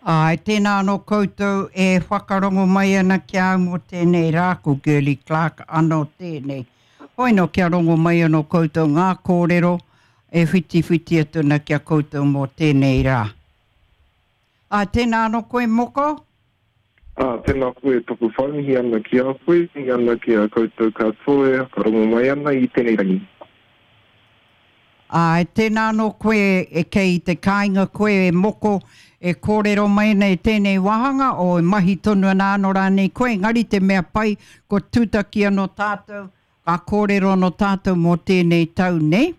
Āe, tēnā anō koutou e whakarongo mai ana ki a au mō tēnei rā, ko Girlie Clarke anō tēnei. Hoi nō kia rongo mai anō koutou ngā kōrero e whitiwhiti atu ana ki a koutou mō tēnei rā. Āe, tēnā anō koe Moko. Ā, tēnā koe, taku whai mihi ana ki a koe, mihi ana ki a koutou katoa e whakarongo mai ana i tēnei rangi. Āe, tēnā anō koe e kei te kāinga koe e Moko e kōrero mai ana i tēnei wāhanga o e mahi tonu ana anō rānei koe, engari te mea pai ko tūtaki anō tātou, ka kōrero anō tātou mō tēnei tau nei.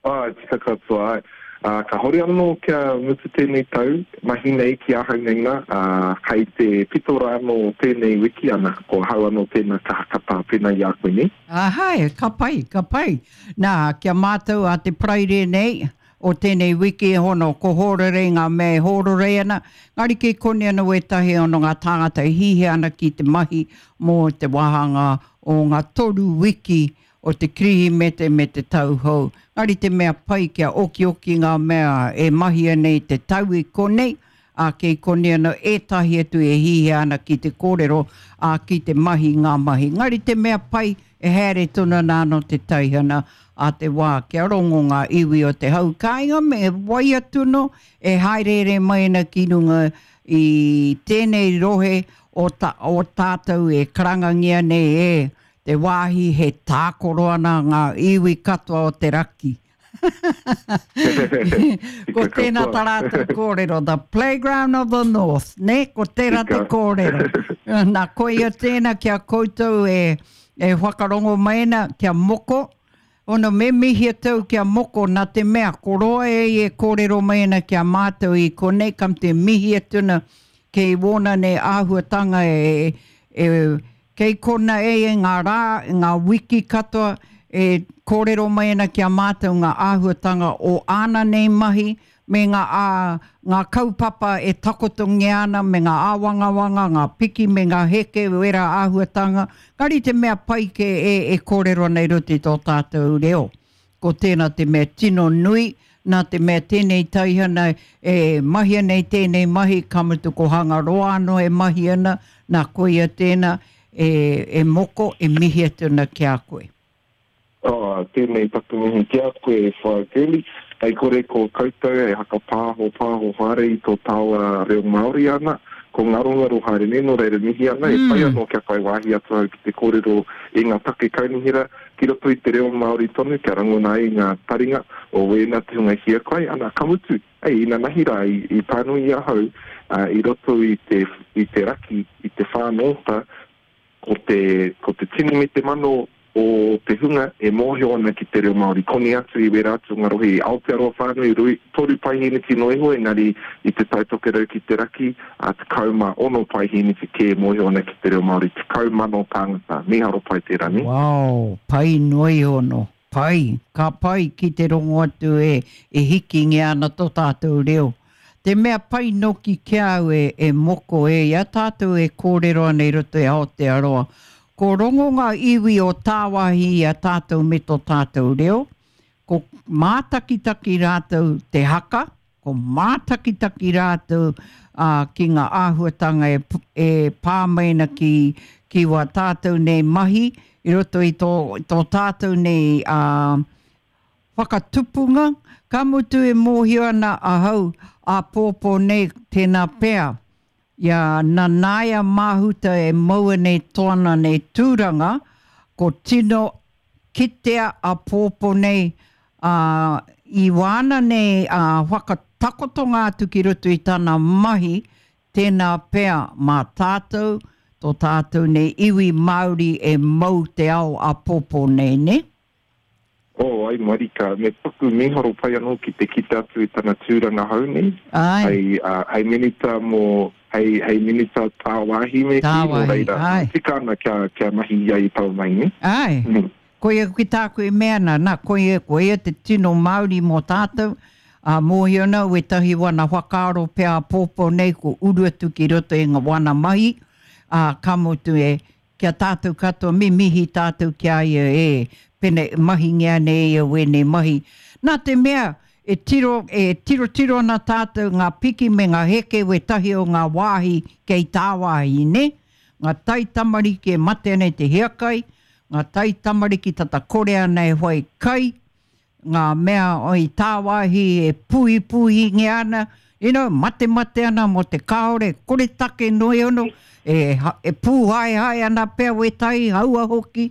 Āe, tika katoa, āe. Ā, kāhore anō kia mutu tēnei tau, mahi nei ki ahau nei nā, ā, hei te pito rā anō o tēnei wiki, ana, ko ahau anō tēnā ka hakatā pēnā i a koe nei. Āe, ka pai, ka pai. Nā, ki a mātou a te Paraire nei, o tēnei wiki, hono, ko hōrorei ngā mea e hōrorei ana, engari kei konei anō wētahi ono ngā tāngata e hihia ana ki te mahi mō te wāhanga o ngā toru wiki o te Kirihimete me te Tau Hou. Engari te mea pai kia okioki ngā mea e mahia nei te tau i konei, ā, kei konei anō ētahi atu e hihia ana ki te kōrero, ā, ki te mahi ngā mahi. Engari te mea pai, e haere tonu ana anō te taihana a te wā kia rongo ngā iwi o te hau kāinga me wai atu anō e hāereere mai ana ki runga i tēnei rohe o, ta, o tātou e karangangia nei e te wāhi he tākoro ana ngā iwi katoa o te raki. Ko tēnā tā rātou kōrero, the playground of the north, nē? Ko tērā te kōrero. Nā, koia tēnā ki a koutou e, e whakarongo mai ana, kia moko, Ono me mihi atu au ki a Moko nā te mea ko roa e ia e kōrero mai ana ki a mātou i konei kam te mihi atu ana kei wōna nei āhuatanga e, e, Kei kona e ia ngā rā, ngā wiki katoa e kōrero mai ana ki a mātou ngā āhuatanga o āna nei mahi me ngā, ā, ngā kaupapa e takotongia ana me ngā āwangawanga, ngā piki me ngā heke, wērā āhuatanga. Engari te mea pai kē e, e kōrero ana i roto i tō tātou reo. Ko tēnā te mea tino nui, nā te mea tēnei taihana e mahia nei tēnei mahi, ka mutu ko Hangaroa anō e mahi ana, nā koia tēnā e, e moko, e mihi atu ana ki a koe. Oh, tēnei taku mihi ki a koe e Whaea Girlie. Hei kore ko koutou e hakapāho pāho haere i tō tāua reo Māori ana, ko ngarongaro haere nei, nō reira mihi ana, e pai anō kia whai wāhi atu au ki te kōrero i ngā take kaunihera, Ki roto i te reo Māori tonu kia rangona ai ngā taringa o wēnā te hunga hiakai, ana, ka mutu, hei, inanahi rā i, i pānui i ahau, ā, i roto i te, i te raki, i te whānōta, ko te, ko te tini me te mano o te hunga e mōhio ana ki te reo Māori. Koni atu i wērā atu o ngā rohe i Aotearoa whānui, rui, toru paihēneti noa iho, engari i Te Tai Tokerau ki te raki, ā, 16 paihēneti kē e mōhio ana ki te reo Māori, 10,000 tāngata. Mīharo pai tērā, nē? Wow, pai noa iho nō. Pai, ka pai ki te rongo atu e, e hikingia ana tō tātou reo. Te mea pai noki ki a au e, e moko e, i a tātou e kōrero ana i roto i Aotearoa, ko rongo ngā iwi o tāwāhi i a tātou me tō tātou reo, ko mātakitaki rātou te haka, Ko mātakitaki rātou ki ngā āhuatanga e, e pā mai ana ki, ki wā tātou nei mahi i roto i tō, tō tātou nei ā, whakatupunga, ka mutu e mōhio ana ahau āpōpō nei tēnā pea i a Nanaia Mahuta e maua nei tōna nei tūranga, ko tino kitea āpōpō nei Ā, i wāna nei ā, whakatakotonga atu ki roto i tana mahi, tēnā pea mā tātou, tō tātou nei iwi Māori e mau te ao āpōpō nei, nē? Oh, ai marika, me paku mīharo pai anō ki te kite atu i tana tūranga hou nei, Āe. hei, ā, hei minita mō, hei, hei minita tāwāhi me kī, nō Tāwāhi, reira, āe. tika ana kia, kia mahi ia i taua mahi, nē? Āe. Koia ki tāku e mea ana, nā, koia, koia te tino Māori mō tātou, ā, mōhio ana wētahi wana whakaaro pea āpōpō nei ko uru atu ki roto i ngā wana mahi, ā, ka mutu e, ki a tātou katoa, me mihi tātou ki a ia e, pēnei, mahingia nei e ia wēnei mahi. Nā te mea, e tiro, e tirotiro ana tātou ngā piki me ngā heke wētahi o ngā wāhi kei tāwāhi, nē? Ngā taitamariki e mate ana i te hiakai, ngā taitamariki tata kore ana e whai kai, ngā mea i tāwāhi e puhipuhingia ana, you know, matemate ana mō te kāore, koretake noa iho, e, e pūhaehae ana pea wētahi, haua hoki,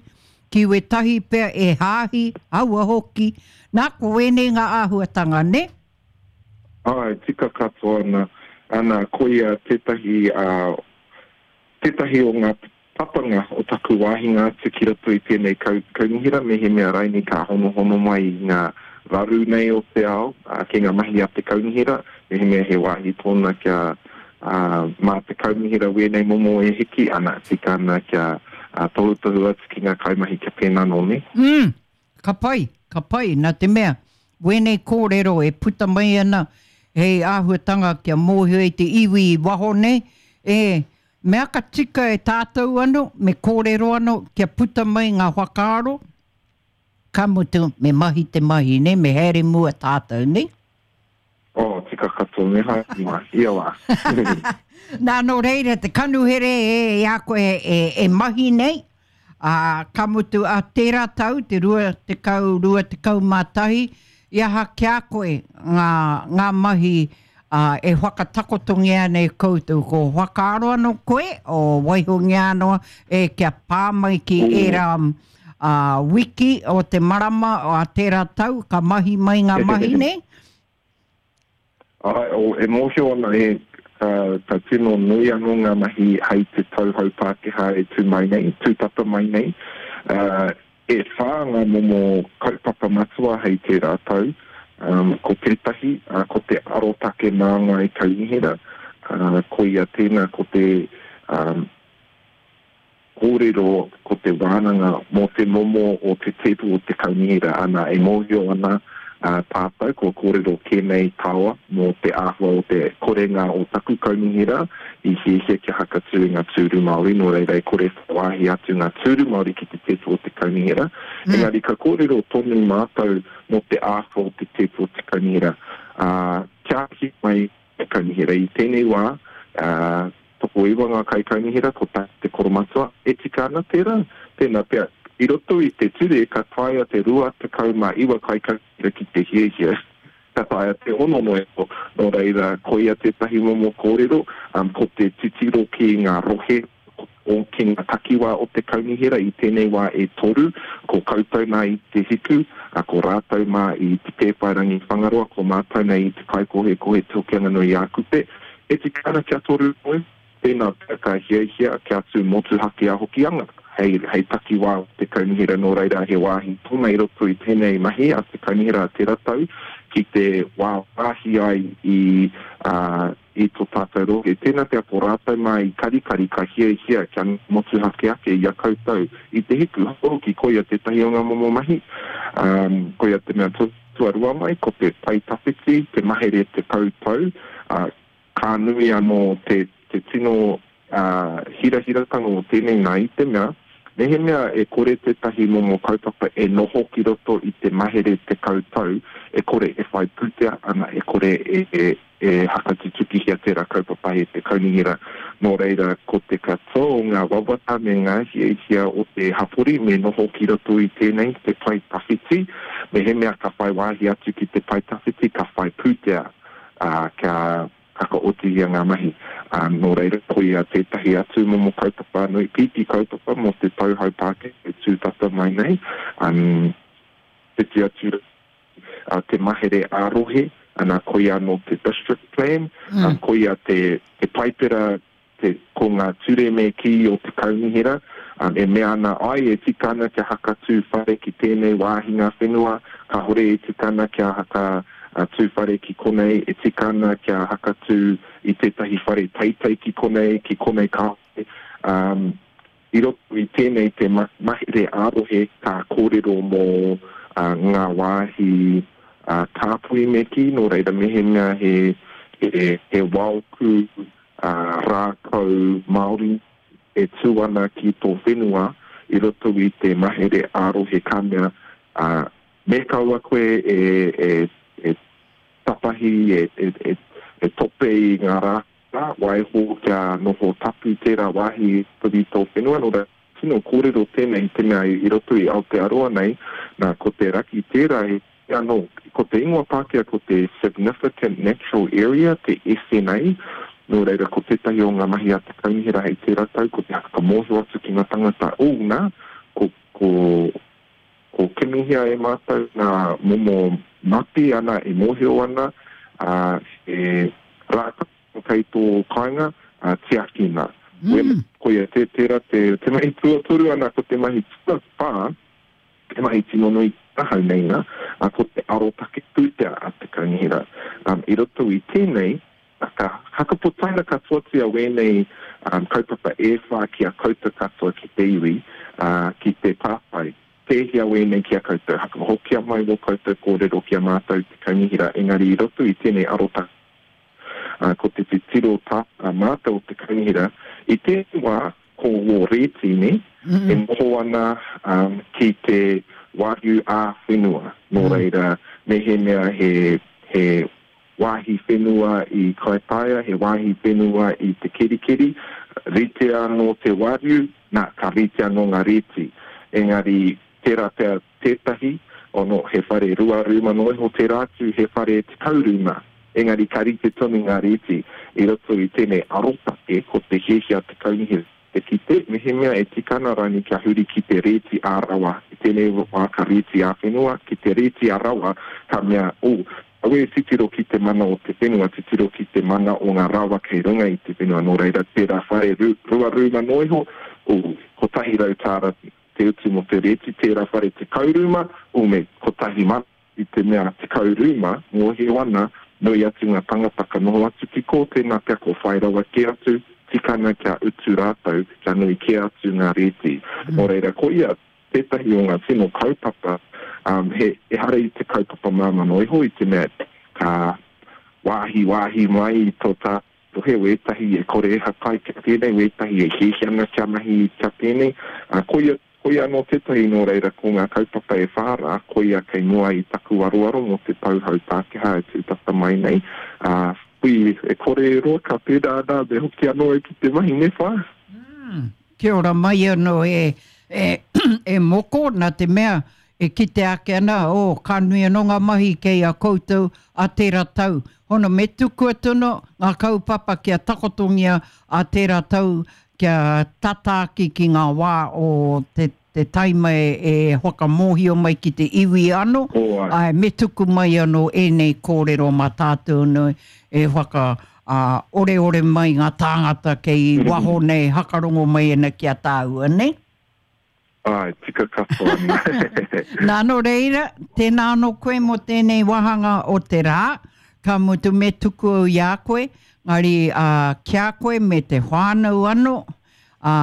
ki wētahi pea e hāhi, haua hoki. Nā, ko wēnei ngā āhuatanga, nē? Āe, tika katoa ana. Ana, koia tētahi, ā, tētahi o ngā papanga o taku wāhinga atu ki roto i tēnei kaunihera, mehemea raini ka honohono mai i ngā raru nei o te ao, ā, ki ngā mahi a te kaunihera, mehemea he wāhi tōna kia, ā, mā te kaunihera wēnei momo e hiki, ana, tika ana kia, ā, tohutohu atu ki ngā kaimahi kia pēnā nō, nē? Mm. Ka pai, ka pai, nā te mea, wēnei kōrero e puta mai ana hei āhuatanga kia mōhio ai te iwi i waho nei, e, me aka tika e tātou anō, me kōrero anō kia puta mai ngā whakaaro, ka mutu, me mahi te mahi, nē, me haere mua tātou, nē? Oh, tika katoa, me haere mua, ia wā. Nā, nō reira, te kanuhere e, i a koe e, e mahi nei, ā, ka mutu a tērā tau, te 20, 21, i aha ki a koe ngā, ngā mahi ā, e whakatakotongia ana e koutou, ko whakaaro anō koe, o waihongia anō e kia pā mai ki ērā ā, wiki o te marama a tērā tau ka mahi mai ngā mahi nei? Āe, o, e mōhio ana e, ka, ka tino nui anō ngā mahi hei te tau hou Pākehā e tū mai nei, tū tata mai nei. Ā, e whā ngā momo kaupapa matua hei tērā tau. Um, ko tētahi, ā, ko te arotake māngai kaunihera, ā, koia tēnā ko te, um, kōrero ko te wānanga mō te momo o te tēpu o te kaunihera, ana, e mōhio ana tātou kua kōrero kē nei tāua mō te āhua o te korenga o taku kaunihera i hiahia kia hakatū i ngā tūru Māori, nō reira e kore whai wāhi atu ngā tūru Māori ki te tēpu o te kaunihera. Engari ka kōrero tonu mātou mō te āhua o te tēpu o te kaunihera, ā, kia hiki mai te kaunihera i tēnei wā, ā, Tokoiwa ngā kaikaunihera, ko tā te koromatua, e tika ana tērā? Tēnā pea, i roto i te ture ka taea te 29 kaikaunihera ki te hiahia, ka taea te ono noa iho. Nō reira, koia tētahi momo kōrero, ko te titiro ki ngā rohe, ki ngā takiwā o te kaunihera i tēnei wā e toru, ko koutou nā i Te Hiku, ko rātou mā i Te Pēwhairangi Whangaroa, ko mātou nei i Te Kaikohekohe Te Hokianga-nui-ā-Kupe. E tika ana kia toru noi, tēnā pea ka hiahia kia tū motuhake a Hokianga hei, hei takiwā o te kaunihera nō reira he wāhi tōna i roto i tēnei mahi a te kaunihera a tērā tau ki te wāwāhi ai i, ā, i tō tātou rohe. Tēnā pea ko rātou mā i karikari ka hiahia kia motuhake ake i a koutou i te hiku hoki koia tētahi o ngā momo mahi, ā, koia te mea Tuarua mai, ko te pae tawhiti, te mahere 10 tau, ā, ka nui anō te, te tino, ā, hirahiratanga o tēnei nā i te mea, mehemea e kore tētahi momo kaupapa e noho ki roto i te mahere 10 tau, e kore e whai pūtea ana, e kore e, e, e hakatutukihia tērā kaupapa e te kaunihera. Nō reira, ko te katoa o ngā wawata me ngā hiahia o te hapori me noho ki roto i tēnei, te pae tawhiti. Mehemea ka whai wāhi atu ki te pae tawhiti, ka whai pūtea, ā, kia whakaotihia ngā mahi. Ā, nō reira, koia tētahi atu momo kaupapa nui, pīpī kaupapa mō te tau hau Pākehā e tū tata mai nei, ā, whiti atu te mahere ā-rohe, ana, koia anō te district plan, mm. koia te, te paipera, te, ko ngā ture me kī o te kaunihera, um, e mea ana ai e tika ana kia hakatū whare ki tēnei wāhi ngā whenua, kāhore e tika ana kia haka uh, tū whare ki konei, e tika ana kia hakatū i tētahi whare teitei ki konei, ki konei kāhore. Um, I roto i tēnei te mahere ā-rohe ka kōrero mō ngā wāhi tāpui me kī, nō reira mehemea he he waoku rākau Māori e tū ana ki tō whenua i roto i te mahere ā-rohe ka mea, me kaua koe e. tapahi, e, e, e, e tope i ngā rākau, waiho kia noho tapu tērā wāhi i roto i tō whenua, nō reira, tino kōrero tēnei i te mea i roto i Aotearoa nei, nā, ko te raki tērā he anō, ko te ingoa Pākehā ko te Significant Natural Area, te SNA, nō reira ko tētahi o ngā mahi a te kaunihera hei tērā tau ko te whakamōhio atu ki ngā tangata, ū, nā, ko, ko, ko kimihia e mātou ngā momo mate ana e mōhio ana, ā, he rākau kei tō kāinga, ā, tiakina. Mm. Koia te, tērā te, te mahi tuatoru ana ko te mahi tuawhā, Te mahi tino nui ki ahau nei na, a ko te arotake pūtea a te kaunihera. Um, i roto i tēnei, ka hakaputaina katoatia wēnei um, kaupapa e whā ki a koutou katoa ki te iwi, uh, ki te pātai, pēhea wēnei ki a koutou, hakahokia mai wō koutou kōrero ki a mātou te kaunihera, engari i roto i tēnei arotake, uh, ko te titiro tā mātou o te kaunihera, i tēnei wā, Ko wō rēti, nē, e noho ana ki te wāriu ā-whenua. Nō reira, mehemea he, he wāhi whenua i Kaitaia, he wāhi whenua i Te Kerikeri, rite anō te wāriu, nā, ka rite anō ngā rēti. Engari, tērā pea tētahi, ono, he whare rua rūma noa iho, tērā atu he whare 10 rūma, engari ka rite tonu ngā rēti. I roto i tēnei arotake, ko te hiahia a te kaunihera te kite, mehemea e tika ana rānei kia huri ki te rēti ā-rawa, i tēnei wā ka rēti ā-whenua, ki te rēti ā-rawa, ka mea, oh, aue titiro ki te mana o te whenua, titiro ki te mana o ngā rawa kei runga i te whenua, nō reira, tērā whare rua rūma noa iho, oh, 100 tāra te utu mō te rēti, tērā whare 10 rūma, ū me 1000 i te mea 10 rūma, mōhio ana, nui atu ngā tangata ka noho atu ki kō, tēnā pea ko whai rawa kē atu, tika ana kia utu rātou, kia nui kē atu ngā rēti. Nō reira, koia tētahi o ngā tino kaupapa, um, he, ehara i te kaupapa māmā noa iho, i te mea ka wāhi wāhi mai i tō tātou Rohe wētahi e kore e hakai kia pēnei, wētahi e hiahia ana kia mahi kia pēnei. Ā, koia, koia anō tētahi nō reira ko ngā kaupapa e whā rā, koia kei mua i taku aroaro mō te tau hou Pākehā e tūtata mai nei. Ā, hui, e kore e roa ka pērā ana me hoki anō au ki te mahi, nē whā? Mm, kia ora mai anō e, e, e Moko, nā te mea E kite ake ana, oh, ka nui anō ngā mahi kei a koutou a tērā tau. Hono, me tukua tono ngā kaupapa kia takotongia a tērā tau kia tata ake ki ngā wā o te, te taima e, e whakamōhio mai ki te iwi anō. Oh, ai. Ai, me tuku mai anō ēnei kōrero mā tātou anō e whaka, ā, oreore mai ngā tāngata kei waho nei hakarongo mai ana ki a tāua, nei? Āe, tika katoa ana. Nā, nō reira, tēnā anō koe mō tēnei wāhanga o te rā, ka mutu me tuku au i a koe, ngari ā, ki a koe me te whānau anō, ā,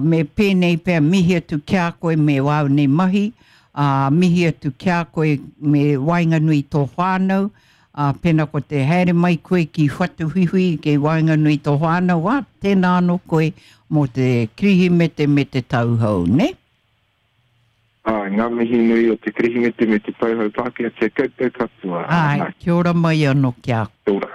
me pēnei pea mihi atu ki a koe me wāu nei mahi, ā, mihi atu ki a koe me waenganui i tō whānau, Ā, pēnā ko te haere mai koe ki Whatuwhiwhi kei waenganui i tō whānau, ā, tēnā anō koe mō te Kirihimete me te Tau Hou, nē? Āe, ngā mihi nui o te Kirihimete me te Tau Hou Pākehā ki a koutou katoa. Āe, kia ora mai anō ki a. Kia ora.